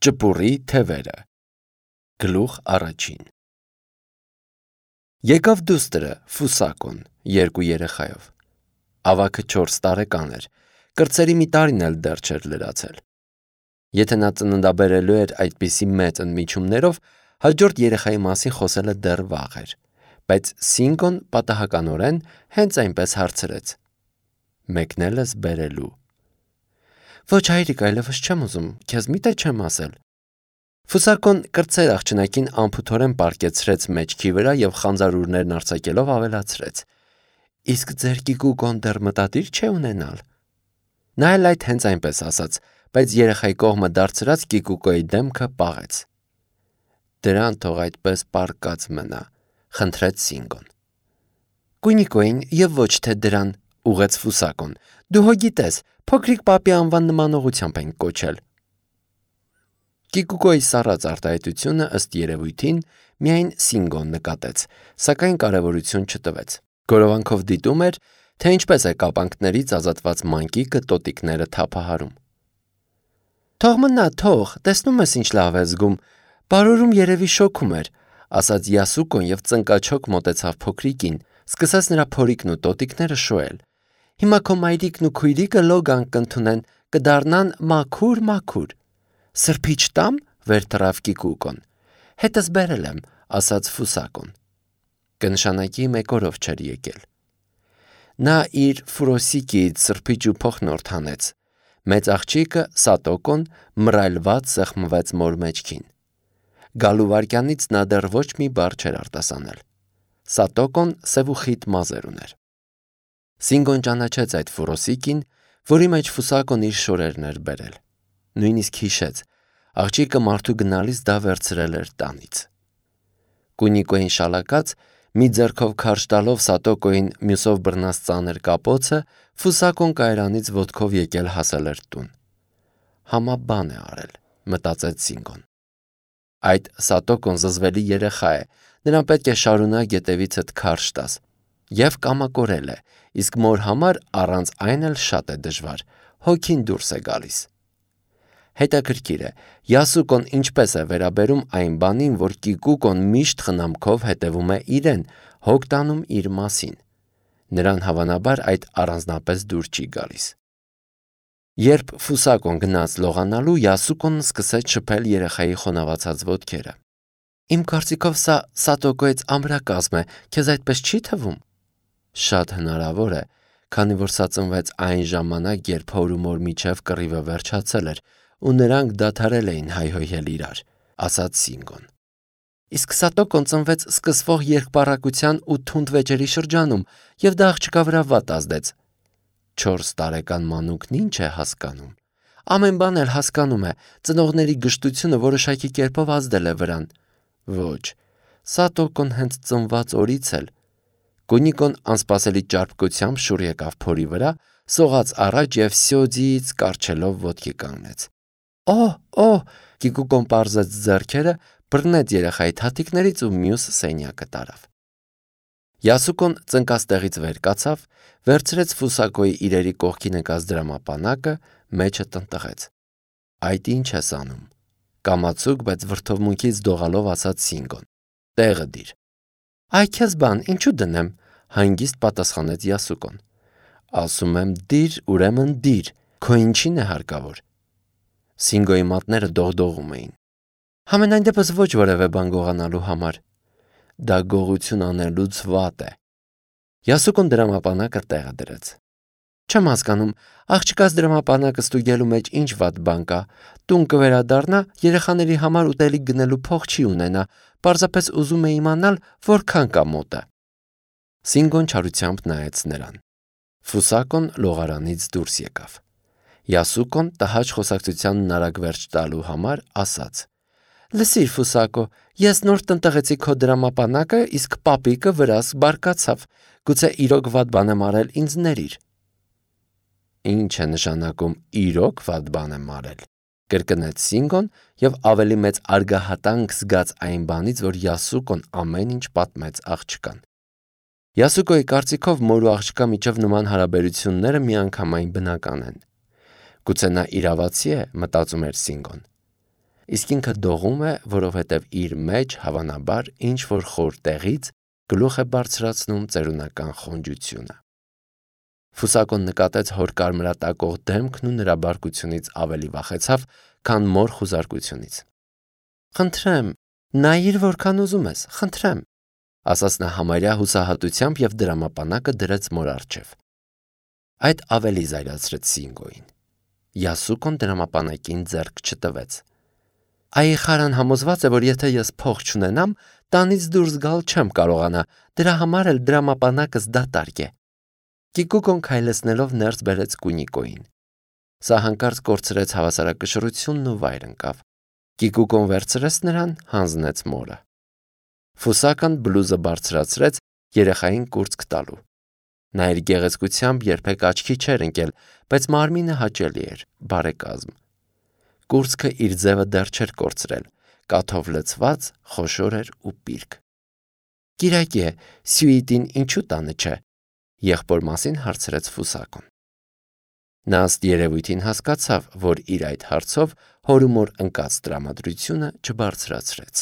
Ճպուրի թևերը։ Գլուխ առաջին։ Եկավ դուստրը Ֆուսակոն 2 երեխայով։ Ավագը 4 տարեկան էր, կրծերի մի տարին էլ դեռ չէր լրացել։ Եթե նա ծննդաբերելու էր այդպիսի մեծ ընդմիջումներով, հաջորդ երեխայի մասին խոսելը դեռ վաղ էր, բայց Սինգոն պատահականորեն հենց այնպես հարցրեց. Մեկնել ես բերելու։ Ոչ հայրիկ, այլևս չեմ ուզում, քեզ մի՞թե չեմ ասել։ Ֆուսակոն կրծեր աղջնակին անփութորեն պառկեցրեց մեջքի վրա և խանձարուրներն արձակելով ավելացրեց. Իսկ ձեր կիկուկոն դեռ մտադիր չէ ունենալ։ Նա էլ այդ հենց այնպես ասաց, բայց երեխայի կողմը դարձրած կիկուկոյի դեմքը պաղեց։ Դրան թող այդպես պառկած մնա, խնդրեց Սինգոն։ Կույնիկոին և ոչ թե դրան, ուղեց Ֆուսակոն, դու հո գիտես, փոքրիկ պապի անվան նմանողությամբ ենք կոչել։ Կիկուկոյի սառած արտահայտությունը ըստ երևույթին միայն Սինգոն նկատեց, սակայն կարևորություն չտվեց։ Գորովանքով դիտում էր, թե ինչպես է կապանքներից ազատված մանկիկը տոտիկները թափահարում։ Թող մնա, թող, տեսնում ես ինչ լավ է զգում, բարորում երևի շոքում էր, ասաց Յասուկոն և ծնկաչոք մոտեցավ փոքրիկին, սկսեց նրա փորիկն ու տոտիկները շոյել։ Հիմա քո մայրիկն ու քույրիկը լոգան կընդունեն, կդառնան մաքուր։ Սրբիչ տամ, վեր թռավ կիկուկոն։ Հետս բերել եմ, ասաց Ֆուսակոն։ Կնշանակի մեկ օրով չէր եկել։ Նա իր ֆուրոսիկից սրբիչ ու փոխնորդ հանեց։ Մեծ աղջիկը Սատոկոն մռայլված սեղմվեց մոր մեջքին։ Գալու վայրկյանից նա դեռ ոչ մի բառ չէր արտասանել։ Սատոկոն սև ու խիտ մազեր ուներ։ Սինգոն ճանաչեց այդ ֆուրոսիկին, որի մեջ Ֆուսակոն իր շորերն էր բերել։ Նույնիսկ հիշեց, աղջիկը մարդու գնալիս դա վերցրել էր տանից։ Կույնիկոյին շալակած, մի ձեռքով քարշ տալով Սատոկոյին մյուսով բռնած ծանր կապոցը, Ֆուսակոն կայարանից ոտքով եկել հասել էր տուն։ Համաբան է արել, մտածեց Սինգոն։ Այդ Սատոկոն զզվելի երեխա է, նրան պետք է շարունակ ետևիցդ քարշ տաս։ Եվ կամակորել է, իսկ մոր համար առանց այն էլ շատ է դժվար, հոգին դուրս է գալիս։ Հետաքրքիր է, Յասուկոն ինչպես է վերաբերում այն բանին, որ կիկուկոն միշտ խնամքով հետևում է իրեն, հոգ տանում իր մասին։ Նրան հավանաբար այդ առանձնապես դուր չի գալիս։ Երբ Ֆուսակոն գնաց լողանալու, Յասուկոն սկսեց շփել երեխայի խոնավացած ոտքերը։ Իմ կարծիքով սա Սատոկոյից ամրակազմ է, քեզ այդպես չի թվում։ Շատ հնարավոր է, քանի որ սա ծնվեց այն ժամանակ, երբ հոր ու մոր միջև կռիվը վերջացել էր, ու նրանք դադարել էին հայհոյել իրար, ասաց Սինգոն։ Իսկ Սատոկոն ծնվեց սկսվող երկպառակության ու թունդ վեճերի շրջանում, և դա աղջկա վրա վատ ազդեց։ 4 տարեկան մանուկն ինչ է հասկանում։ Ամեն բան էլ հասկանում է, ծնողների գժտությունը որոշակի կերպով ազդել է վրան։ Ոչ, Սատոկոն հենց ծնված օրից էլ։ Կույնիկոն անսպասելի ճարպկությամբ շուռ եկավ փորի վրա, սողաց առաջ և սյոդից կառչելով ոտքի կանգնեց։ Օհ, կիկուկոն պարզեց ձեռքերը, բռնեց երեխայի թաթիկներից ու մյուս սենյակը տարավ։ Յասուկոն ծնկած տեղից վեր կացավ, վերցրեց Ֆուսակոյի իրերի կողքի նկած դրամապանակը, մեջը տնտղեց։ Այդ ինչ ես անում։ Կամացուկ, բայց վրդովմունքից դողալով ասաց Սինգոն։ Տեղը դիր։ Այ քեզ բան, ինչու դնեմ, հանգիստ պատասխանեց Յասուկոն։ Ասում եմ դիր, ուրեմն դիր, քո ինչին է հարկավոր։ Սինգոյի մատները դողդողում էին։ Համենայն դեպս ոչ որևէ բան գողանալու համար։ Դա գողություն անելուց վատ է։ Յասուկոն դրամապանակը տեղը դրեց։ Չեմ հասկանում, աղջկաս դրամապանակը ստուգելու մեջ ինչ վատ բան կա։ Տուն կվերադառնա, երեխաների համար ուտելիք գնելու փող չի ունենա, պարզապես ուզում է իմանալ, որքան կա մոտը։ Սինգոն չարությամբ նայեց նրան։ Ֆուսակոն լողարանից դուրս եկավ։ Յասուկոն տհաճ խոսակցությանն արագ վերջ տալու համար ասաց. Լսիր, Ֆուսակո, ես նոր տնտղեցի քո դրամապանակը, իսկ պապիկը վրաս բարկացավ։ Գուցե իրոք վատ բան եմ արել, ինձ ներիր։ Ինչ է նշանակում իրոք վատ բան եմ արել, կրկնեց Սինգոն և ավելի մեծ արգահատանք զգաց այն բանից, որ Յասուկոն ամեն ինչ պատմեց աղջկան։ Յասուկոյի կարծիքով մոր ու աղջկա միջև նման հարաբերությունները միանգամայն բնական են։ Գուցե նա իրավացի է, մտածում էր Սինգոն։ իսկ ինքը դողում է, որովհետև իր մեջ հավանաբար ինչ-որ խոր տեղից գլուխ է բարձրացնում ծերունական խոնջությունը։ Ֆուսակոն նկատեց հոր կարմրատակող դեմքն ու նրա բարկությունից ավելի վախեցավ, քան մոր խուզարկությունից։ «Խնդրեմ, նայիր որքան ուզում ես, խնդրեմ», ասաց նա համարյա հուսահատությամբ և դրամապանակը դրեց մոր առջև։ Այդ ավելի զայրացրեց Սինգոյին։ Յասուկոն դրամապանակին ձեռք չտվեց։ «Այ խարան համոզված է, որ եթե ես փող չունենամ, տանից դուրս գալ չեմ կարողանա, դրա համար էլ դրամապանակս դատարկ է»։ Կիկուկոն քայլեցնելով ներս բերեց Կունիկոյին։ Սա հանկարծ կորցրեց հավասարակշռությունն ու վայր ընկավ։ Կիկուկոն վերցրեց նրան, հանձնեց մորը։ Ֆուսական բլուզը բարձրացրեց երեխային կուրծք տալու։ Նա իր գեղեցկությամբ երբեք աչքի չէր ընկել, բայց մարմինը հաճելի էր, բարեկազմ։ Կուրծքը իր ձևը դեռ չէր կորցրել, կաթով լցված, խոշոր էր ու պիրկ։ «Կիրակի է, Սյուիտին ինչու տանը չէ», եղբոր մասին հարցրեց Ֆուսակոն։ Նա ըստ երևույթին հասկացավ, որ իր այդ հարցով հոր ու մոր ընկած տրամադրությունը չբարձրացրեց։